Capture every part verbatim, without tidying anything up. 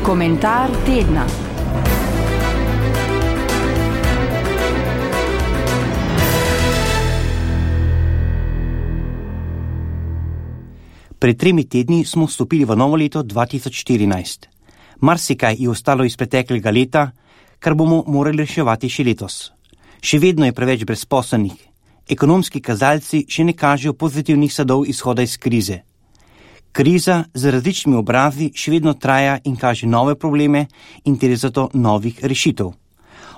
Komentar tedna. Pred tremi tedni smo vstopili v novo leto dva tisoč štirinajst. Marsikaj je ostalo iz preteklega leta, kar bomo morali reševati še letos. Še vedno je preveč brezposelnih. Ekonomski kazalci še ne kažejo pozitivnih sadov izhoda iz krize. Kriza z različnimi obrazi še vedno traja in kaže nove probleme in ter zato novih rešitev.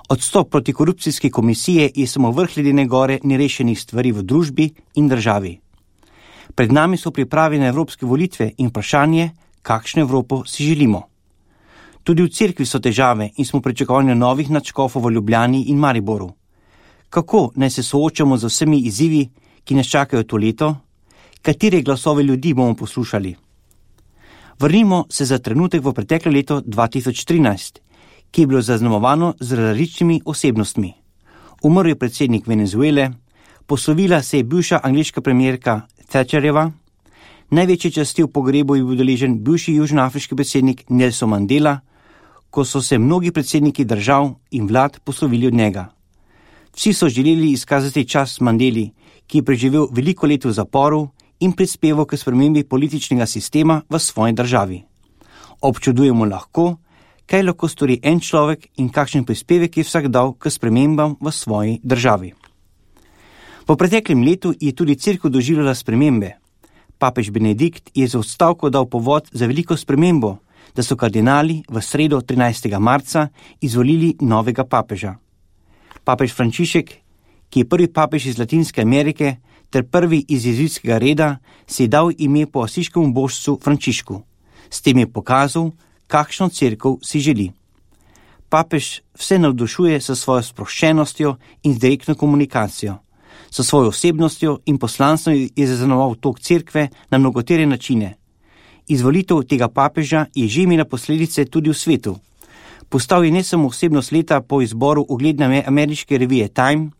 Odstop protikorupcijske komisije je samo vrh ledene gore nerešenih stvari v družbi in državi. Pred nami so priprave na evropske volitve in vprašanje, kakšno Evropo si želimo. Tudi v cerkvi so težave in smo pričakovali novih nadškofov v Ljubljani in Mariboru. Kako naj se soočamo z vsemi izzivi, ki nas čakajo to leto? Katere glasove ljudi bomo poslušali? Vrnimo se za trenutek v preteklo leto dva tisoč trinajst, ki je bilo zaznamovano z različnimi osebnostmi. Umrl je predsednik Venezuele, poslovila se je bivša angleška premierka Thatcherjeva, največje časti v pogrebu je bil udeležen bivši južnoafriški predsednik Nelson Mandela, ko so se mnogi predsedniki držav in vlad poslovili od njega. Vsi so želeli izkazati čast Mandeli, ki je preživel veliko let v zaporu in prispeval k spremembi političnega sistema v svoji državi. Občudujemo lahko, kaj lahko stori en človek in kakšen prispevek je vsak dal k spremembam v svoji državi. V preteklem letu je tudi cerkev doživljala spremembe. Papež Benedikt je za odstavko dal povod za veliko spremembo, da so kardinali v sredo trinajstega marca izvolili novega papeža. Papež Frančišek, ki je prvi papež iz Latinske Amerike ter prvi iz jezuitskega reda, si je dal ime po asiškemu božcu Frančišku. S tem je pokazal, kakšno cerkev si želi. Papež vse navdušuje sa svojo sproščenostjo in z direktno komunikacijo. Sa svojo osebnostjo in poslanstvom je zaznamoval tok cerkve na mnogotere načine. Izvolitev tega papeža je že imela posledice tudi v svetu. Postal je ne samo osebnost leta po izboru ugledne ameriške revije Time,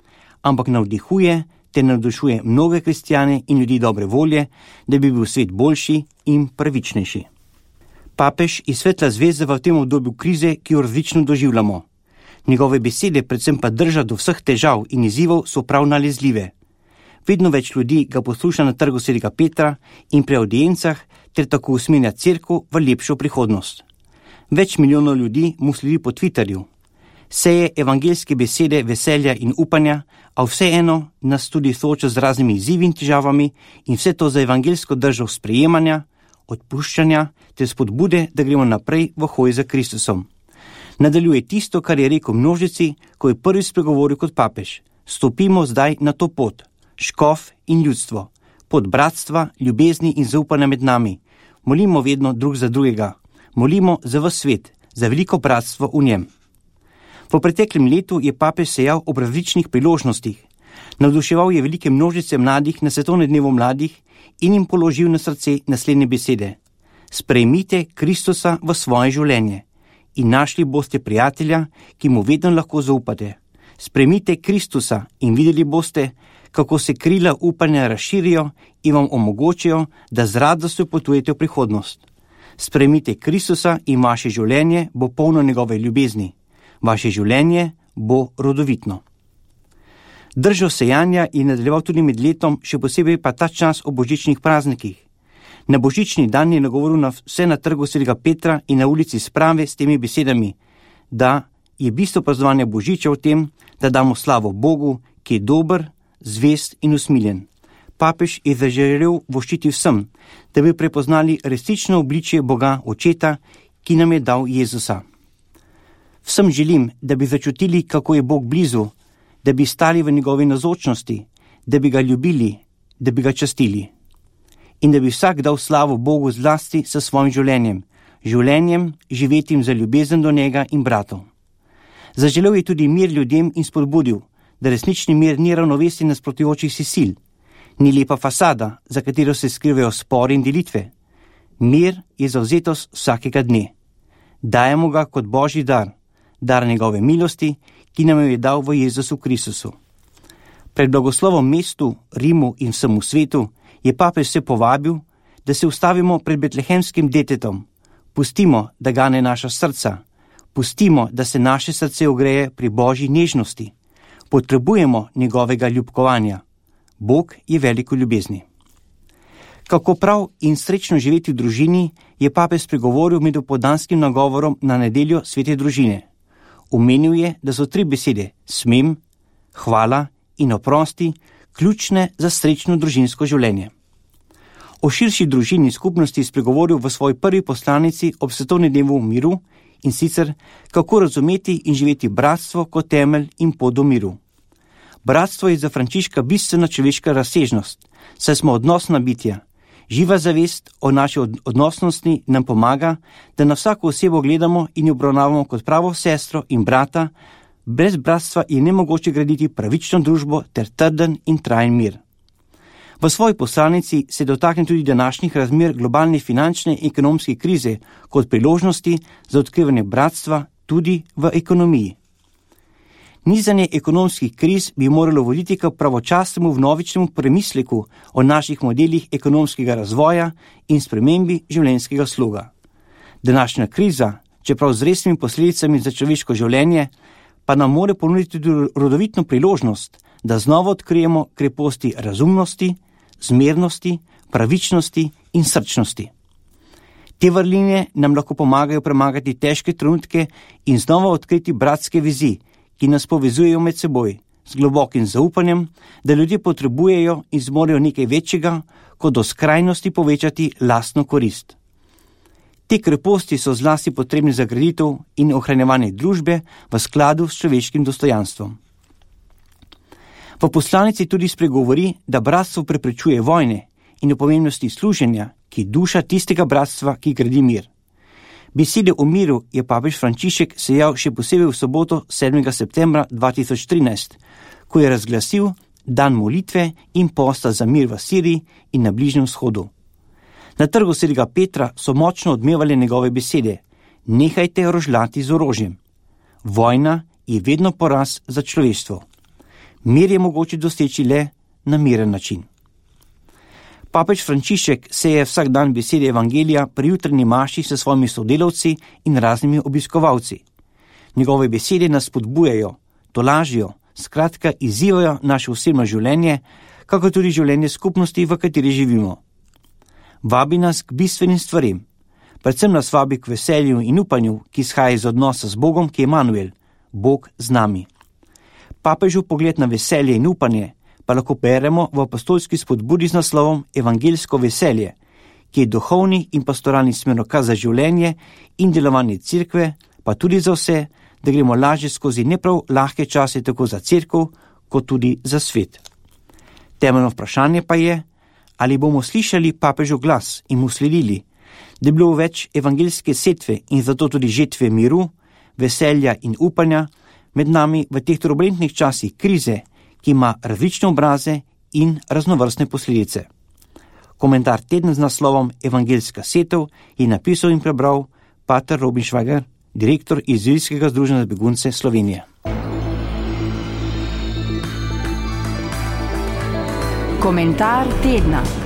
ampak navdihuje ter navdušuje mnoge kristjane in ljudi dobre volje, da bi bil svet boljši in pravičnejši. Papež je svetla zvezda v tem obdobju krize, ki jo različno doživljamo. Njegove besede, predvsem pa drža do vseh težav in izzivov, so prav nalezljive. Vedno več ljudi ga posluša na trgu svetega Petra in pri audiencah ter tako usmerja cerkev v lepšo prihodnost. Več milijonov ljudi mu sledi po Twitterju. Seje evangeljske besede veselja in upanja, a vseeno nas tudi sooča z raznimi izzivi in težavami in vse to za evangeljsko držo sprejemanja, odpuščanja ter spodbude, da gremo naprej v hoji za Kristusom. Nadaljuje tisto, kar je rekel množici, ko je prvi spregovoril kot papež. Stopimo zdaj na to pot, škof in ljudstvo, pot bratstva, ljubezni in zaupanja med nami. Molimo vedno drug za drugega. Molimo za ves svet, za veliko bratstvo v njem. V preteklem letu je papež sejal ob različnih priložnostih. Navduševal je velike množice mladih na svetovnem dnevu mladih in jim položil na srce naslednje besede. Sprejmite Kristusa v svoje življenje in našli boste prijatelja, ki mu vedno lahko zaupate. Sprejmite Kristusa in videli boste, kako se krila upanja razširijo in vam omogočijo, da z radostjo potujete v prihodnost. Sprejmite Kristusa in vaše življenje bo polno njegove ljubezni. Vaše življenje bo rodovitno. Držo sejanja je nadaljeval tudi med letom, še posebej pa ta čas o božičnih praznikih. Na božični dan je nagovoril na vse na trgu svetega Petra in na ulici Sprave s temi besedami, da je bistvo praznovanja božiča v tem, da damo slavo Bogu, ki je dober, zvest in usmiljen. Papež je zaželel voščiti vsem, da bi prepoznali resnično obličje Boga Očeta, ki nam je dal Jezusa. Vsem želim, da bi začutili, kako je Bog blizu, da bi stali v njegovi navzočnosti, da bi ga ljubili, da bi ga častili. In da bi vsak dal slavo Bogu zlasti s svojim življenjem, življenjem živetim za ljubezen do njega in bratov. Zaželel je tudi mir ljudem in spodbudil, da resnični mir ni ravnovesje nasprotujočih si sil, ni lepa fasada, za katero se skrivajo spori in delitve. Mir je zavzetost vsakega dne. Dajemo ga kot Božji dar, dar njegove milosti, ki nam jo je dal v Jezusu Kristusu. Pred blagoslovom mestu, Rimu in vsemu svetu je papež se povabil, da se ustavimo pred betlehemskim detetom, Pustimo, da gane naša srca. Pustimo, da se naše srce ogreje pri Božji nežnosti. Potrebujemo njegovega ljubkovanja. Bog je veliko ljubezni. Kako prav in srečno živeti v družini, je papež spregovoril med opoldanskim nagovorom na nedeljo svete družine. Omenil je, da so tri besede smem, hvala in oprosti ključne za srečno družinsko življenje. O širši družini skupnosti spregovoril v svoji prvi poslanici ob svetovnem dnevu miru, in sicer kako razumeti in živeti bratstvo kot temelj in pot do miru. Bratstvo je za Frančiška bistvena človeška razsežnost, saj smo odnosna bitja. Živa zavest o naši odnosnosti nam pomaga, da na vsako osebo gledamo in jo obravnavamo kot pravo sestro in brata. Brez bratstva je nemogoče graditi pravično družbo ter trden in trajen mir. V svoji poslanici se dotakne tudi današnjih razmer globalne finančne in ekonomske krize kot priložnosti za odkrivanje bratstva tudi v ekonomiji. Nizanje ekonomskih kriz bi moralo voditi k pravočasnemu vnovičnemu premisleku o naših modelih ekonomskega razvoja in spremembi življenjskega sloga. Današnja kriza, čeprav z resnimi posledicami za človeško življenje, pa nam more ponuditi tudi rodovitno priložnost, da znova odkrijemo kreposti razumnosti, zmernosti, pravičnosti in srčnosti. Te vrline nam lahko pomagajo premagati težke trenutke in znova odkriti bratske vezi, ki nas povezujejo med seboj, z globokim zaupanjem, da ljudje potrebujejo in zmorejo nekaj večjega, kot do skrajnosti povečati lastno korist. Te kreposti so zlasti potrebni za graditev in ohranjevanje družbe v skladu s človeškim dostojanstvom. V poslanici tudi spregovori, da bratstvo preprečuje vojne in o pomembnosti služenja, ki je duša tistega bratstva, ki gradi mir. Besede o miru je papež Frančišek sejal še posebej v soboto sedmega septembra dva tisoč trinajst, ko je razglasil dan molitve in posta za mir v Siriji in na Bližnjem vzhodu. Na trgu svetega Petra so močno odmevali njegove besede: nehajte rožljati z orožjem. Vojna je vedno poraz za človeštvo. Mir je mogoče doseči le na miren način. Papež Frančišek seje vsak dan besede evangelija pri jutranji maši s svojimi sodelavci in raznimi obiskovalci. Njegove besede nas spodbujajo, tolažijo, skratka izzivajo naše osebno življenje, kako tudi življenje skupnosti, v kateri živimo. Vabi nas k bistvenim stvarem, predvsem nas vabi k veselju in upanju, ki izhaja iz odnosa z Bogom, ki je Emanuel, Bog z nami. Papežu pogled na veselje in upanje pa lahko beremo v apostolski spodbudi z naslovom Evangeljsko veselje, ki je duhovni in pastoralni smerokaz za življenje in delovanje cerkve, pa tudi za vse, da gremo lažje skozi neprav lahke čase tako za cerkev, kot tudi za svet. Temeljno vprašanje pa je, ali bomo slišali papežu glas in mu sledili, da je bilo več evangeljske setve in zato tudi žetve miru, veselja in upanja med nami v teh turbulentnih časih krize, ki ima različne obraze in raznovrstne posledice. Komentar tedna z naslovom Evangeljska setev je napisal in prebral pater Robin Švager, direktor Izraelskega združenja za begunce Slovenije. Komentar tedna.